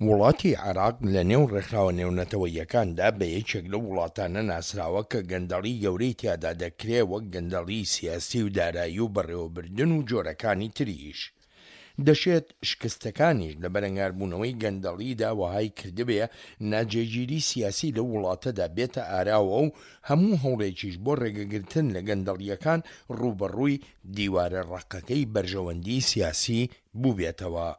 وڵاتی عێراق لە نێو ڕێکخراوە نێونەتەوەییەکاندا بە یەکێک لەو وڵاتانە ناسراوە کە گەندەڵی گەورەی تیادا دەکرێ وەک گەندەڵی سیاسی و دارایی و بەڕێوەبردن و جۆرەکانی تریش. دەشێت شکستەکانیش لە بەرەنگاربوونەوەی گەندەڵیدا وەهای کردبێ ناجێگیری سیاسی لەو وڵاتەدا بێتە ئاراوە و هەموو هەوڵێکیش بۆ ڕێگەگرتن لە گەندەڵییەکان ڕووبەڕووی دیوارە ڕەقەکەی بەرژەوەندی سیاسی بووبێتەوە.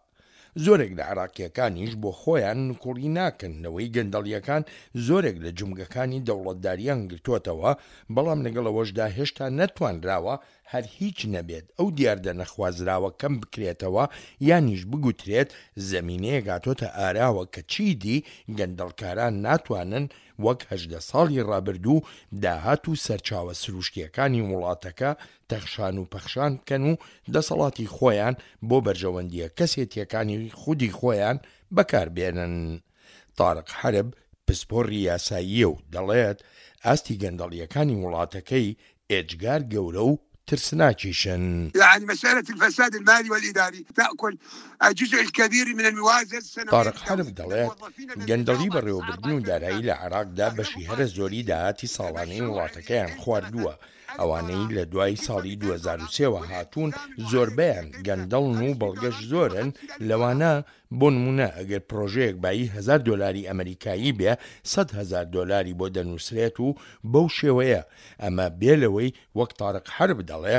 زۆرێک لە عێراقییەکانیش بۆ خۆیان نکوڵی ناکەن لەوەی گەندەڵییەکان زۆرێک لە جومگەکانی دەوڵەتداریان گرتۆتەوە، بەڵام لەگەڵ ئەوەشدا هێشتا نەتوانراوە هەر هیچ نەبێت ئەو دیاردە نەخوازراوە کەم بکرێتەوە یانیش بگوترێت زەمینەیەک هاتۆتە ئاراوە کە چیدی گەندەڵکاران ناتوانن وەک 18 ساڵی ڕابردوو داهات و سەرچاوە سروشتییەکانی وڵاتەکە تەخشان و پەخشان بکەن و دەسەڵاتی خۆیان بۆ بەرژەوەندییە کەسێتییەکانی خودی خۆیان بەکار بێنن. تارق حەرب پسپۆڕی یاساییە و دەڵێت، ئاستی گەندەڵییەکانی وڵاتەکەی ئێجگار گەورە و ترسناکیشن. یعنی مسئلە الفساد المالی والاداری تاکل الجزء الکبیر من الموازنە السنویە تارق حەرب دەڵێت، گەندەڵی بەڕێوەبردن و دارایی لە عێراقدا بەشی هەرە زۆری داهاتی ساڵانەی وڵاتەکەیان خواردووە، ئەوانەی لە دوای ساڵی 2003 وە هاتوون زۆربەیان گەندەڵن و بەڵگەش زۆرن لەوانە، بۆ نموونە ئەگەر پرۆژەیەک بایی هەزار دۆلاری ئەمەریکایی بێ 100,000 دۆلاری بۆ دەنووسرێت و بەو شێوەیە، ئەمە بێ لەوەی وەک تارق حەرب دەڵێ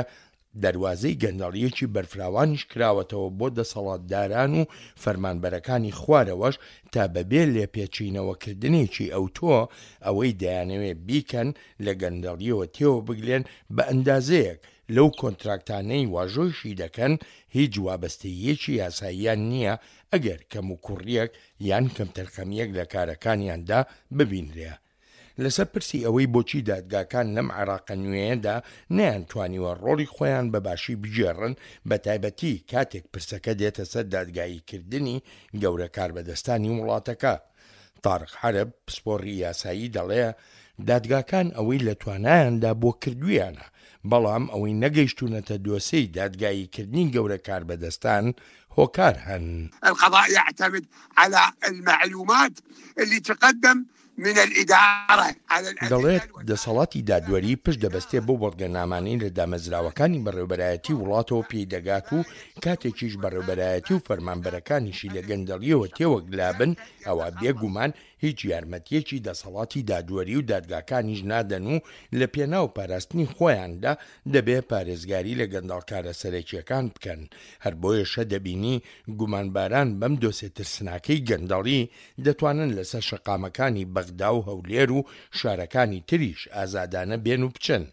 دەروازەی گەندەڵییەکی بەرفراوانیش کراوەتەوە بۆ دەسەڵاتداران و فەرمانبەرەکانی خوارەوەش تا بەبێ لێپێچینەوەکردنێکی ئەوتۆ ئەوەی دەیانەوێ بیکەن لە گەندەڵییەوە تێوەبگلێن بە ئەندازەیەک لەو کۆنتراکتانەی واژۆیشی دەکەن هیچ وابەستەییەکی یاساییان نییە ئەگەر کەموکوڕییەک یان کەمتەرخەمییەک لە کارەکانیاندا ببینرێ. لەسەر پرسی ئەوەی بۆچی دادگاکان لەم عێراقە نوێیەدا نەیانتوانیوە ڕۆڵی خۆیان بە باشی بگێڕن، بەتایبەتی کاتێک پرسەکە دێتە سەر دادگاییکردنی گەورە کاربەدەستانی وڵاتەکە، تارق عەرەب، پسپۆڕی یاسایی دەڵێ، دادگاکان ئەوەی لە توانایاندا بووە کردوویانە، بەڵام ئەوەی نەگەیشتوونەتە دۆسێی دادگاییکردنی گەورە کاربەدەستان، هۆکار هەن. القضاء يعتمد على المعلومات اللي تقدم من الادارە علی الادلە دەڵێت، دەسەڵاتی دادوەری پشت دەبەستێ بەو بەڵگەنامانەی لە دامەزراوەکانی بەڕێوبەرایەتی وڵاتەوە پێی دەگات و کاتێکیش بەڕێوبەرایەتی و فەرمانبەرەکانیشی لە گەندەڵییەوە تێوەگلابن ئەوا بێ گومان هیچ یارمەتییەکی دەسەڵاتی دادوەری و دادگاکانیش نادەن و لە پێناو پاراستنی خۆیاندا دەبێ پارێزگاری لە گەندەڵکارە سەرەکییەکان بکەن هەر بۆیەشە دەبینی گومانباران بەم دۆسێ ترسناکەی گەندەڵی دەتوانن لەسەر شەقامەکانی بەغدا و هەولێر و شارەکانی تریش ئازادانە بێن و بچن.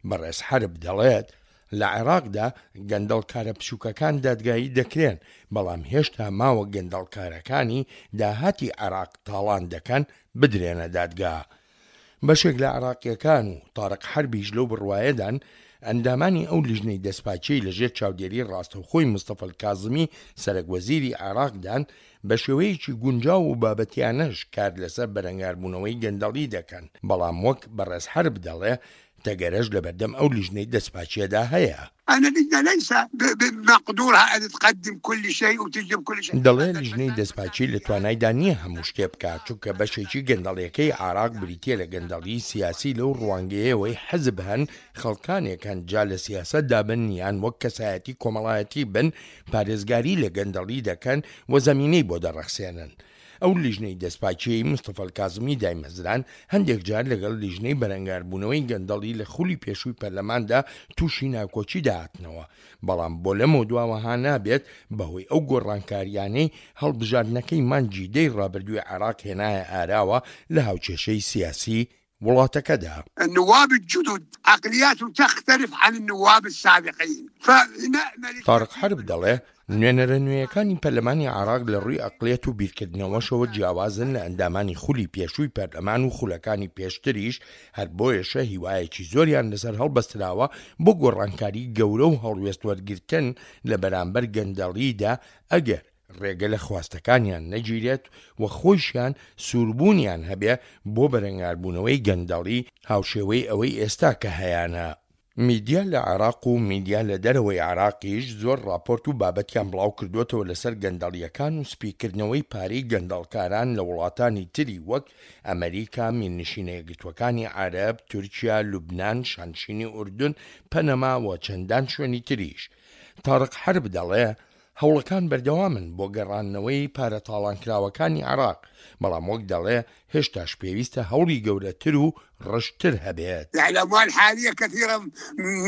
بەڕێز حەرب دەڵێت، لە عێراقدا گەندەڵکارە بچووکەکان دادگایی دەکرێن، بەڵام هێشتا ماوە گەندەڵکارەکانی داهاتی عێراق تاڵان دەکەن بدرێنە دادگا. بەشێک لە عێراقییەکان و تارق حەربیش لەو بڕوایەدان ئەندامانی ئەو لیژنەی دەستپاکیەی لەژێر چاودێری ڕاستەوخۆی مستەفا کازمی سەرەک وەزیری عێراقدان بە شێوەیەکی گونجاو و بابەتیانەش کار لەسەر بەرەنگاربوونەوەی گەندەڵی دەکەن، بەڵام وەک بەڕێز حەرب دەڵێ تەگەرەش لەبەردەم ئەو لیژنەی دەستپاکیەدا هەیە. ان اللجنة ليس بمقدورها ان تقدم كل شيء وتجلب كل شيء. دەڵێ لیژنەی دەستپاکی لە توانایدا نییە هەموو شتێ بکات، چونکە بەشێکی گەندەڵیەکەی عێراق بریتییە لە گەندەڵیی سیاسی لەو ڕوانگەیەوەی حزب هەن خەڵکانێک هەن جا لە سیاسەتدا بن یان وەک کەسایەتی کۆمەڵایەتی بن پارێزگاری لە گەندەڵی دەکەن و زەمینەی بۆ دەڕەخسێنن. ئەو لیژنەی دەستپاکییەی مستەفا کازمی دایمەزراند، هەندێک جار لەگەڵ لیژنەی بەرەنگاربوونەوەی گەندەڵی لە خولی پێشووی پەرلەماندا تووشی ناکۆکی دەهاتنەوە، بەڵام بۆ لەمەودواوە ها نابێت بەهۆی ئەو گۆڕانکارییانەی هەڵبژاردنەکەی مانگی دەی ڕابردووی عێراق هێنایە ئاراوە لە هاوکێشەی سیاسی وڵاتەکەدا. النواب الجدد عقلیاتهم تختلف عن النواب السابقین فنامل تارق حەرب دەڵێ، نوێنەرە نوێیەکانی پەرلەمانی عێراق لە ڕووی ئەقڵیەت و بیرکردنەوەشەوە جیاوازن لە ئەندامانی خولی پێشووی پەرلەمان و خولەکانی پێشتریش، هەر بۆیەشە هیوایەکی زۆریان لەسەر هەڵبەستراوە بۆ گۆڕانکاری گەورە و هەڵوێست وەرگرتن لە بەرامبەر گەندەڵیدا ئەگەر ڕێگە لە خواستەکانیان نەگیرێت و خۆیشیان سووربوونیان هەبێ بۆ بەرەنگاربوونەوەی گەندەڵی هاوشێوەی ئەوەی ئێستا کە هەیانە. میدیا لە عێراق و میدیا لە دەرەوەی عێراقیش زۆر ڕاپۆرت و بابەتیان بڵاوکردووەتەوە لەسەر گەندەڵییەکان و سپیکردنەوەی پارەی گەندەڵکاران لە وڵاتانی تری وەک ئەمەریکا، میرنشینە یەکگرتووەکانی عەرەب، تورکیا، لوبنان، شانشینی ئوردن، پەنەما و چەندان شوێنی تریش. تارق حەرب دەڵێ، هەوڵەکان بەردەوامن بۆ گەڕاندنەوەی پارە تاڵانکراوەکانی عێراق، بەڵام وەک دەڵێ هێشتاش پێویستە هەوڵی گەورەتر و ڕژدتر هەبێت. الاموال حاليا كثيرة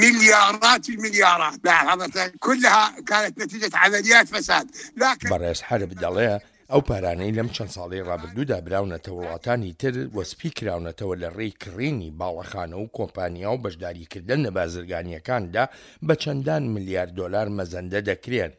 مليارات المليارات كلها كانت نتيجة عمليات فساد لكن. بەڕێز حەرب دەڵێ ئەو پارانەی لەم چەند ساڵەی ڕابردوودا براونەتە وڵاتانی تر و سپی کراونەتەوە لە ڕێی کڕینی باڵەخانە و کۆمپانیا و بەشداریکردن لە بازرگانییەکاندا بە چەندان ملیار دۆلار مەزەندە دەکرێن،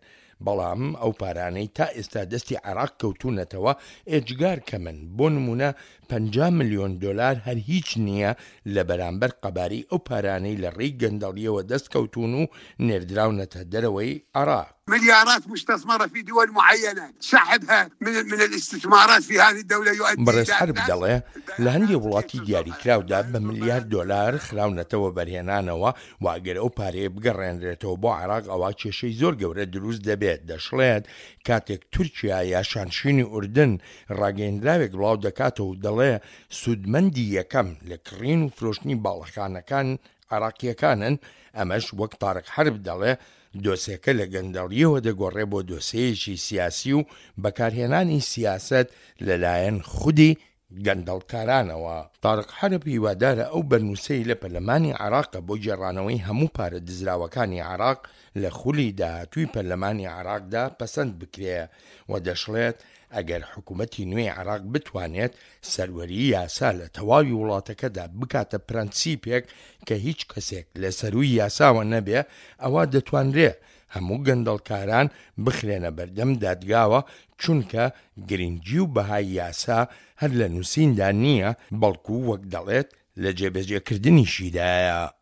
بەڵام ئەو پارانەی تا ئێستا دەستی عێراق کەوتوونەتەوە ئێجگار کەمن، بۆ نموونە 50 ملیۆن دۆلار هەر هیچ نییە لە بەرامبەر قەبارەی ئەو پارانەی لە ڕێی گەندەڵییەوە دەست کەوتوون و نێردراونەتە دەرەوەی عێراق. مليارات مستثمرة في دول معينة سحبها من من الاستثمارات في هذه الدولة يؤدي بەڕێز حەرب دەڵێ، لە هەندێ وڵاتی دیاریکراودا بە ملیار دۆلار خراونەتە وەبەرهێنانەوە و ئەگەر ئەو پارەیە بگەڕێنرێتەوە بۆ عێراق ئەوا کێشەی زۆر گەورە دروست دەبێت، دەشڵێت، کاتێک تورکیا یا شانشینی ئوردن ڕاگەیەندراوێک بڵاو دەکاتەوە و دەڵێ سوودمەندی یەکەم لە کڕین و فرۆشتنی باڵەخانەکان عێراقییەکانن، ئەمەش وەک تارق حەرب دەڵێ دۆسێکە لە گەندەڵییەوە دەگۆڕێ بۆ دۆسێیەکی سیاسی و بەکارهێنانی سیاسەت لەلایەن خودی گەندەڵکارانەوە. تارق حەرب هیوادارە ئەو بەرنوسەی لە پەرلەمانی عێراقە بۆ گێڕانەوەی هەموو پارە دزراوەکانی عێراق لە خولی داهاتووی پەرلەمانی عێراقدا پەسەند بکرێ و دەشڵێت ئەگەر حکومەتی نوێی عێراق بتوانێت سەروەریی یاسا لە تەواوی وڵاتەکەدا بکاتە پرەنسیپێک کە هیچ کەسێک لە سەرووی یاساوە نەبێ ئەوا دەتوانرێ هەموو گەندەڵکاران بخرێنە بەردەم دادگاوە چونکە گرنگی و بەهای یاسا هەر لە نووسیندا نییە بەڵکو وەک دەڵێت لە جێبەجێکردنیشیدایە.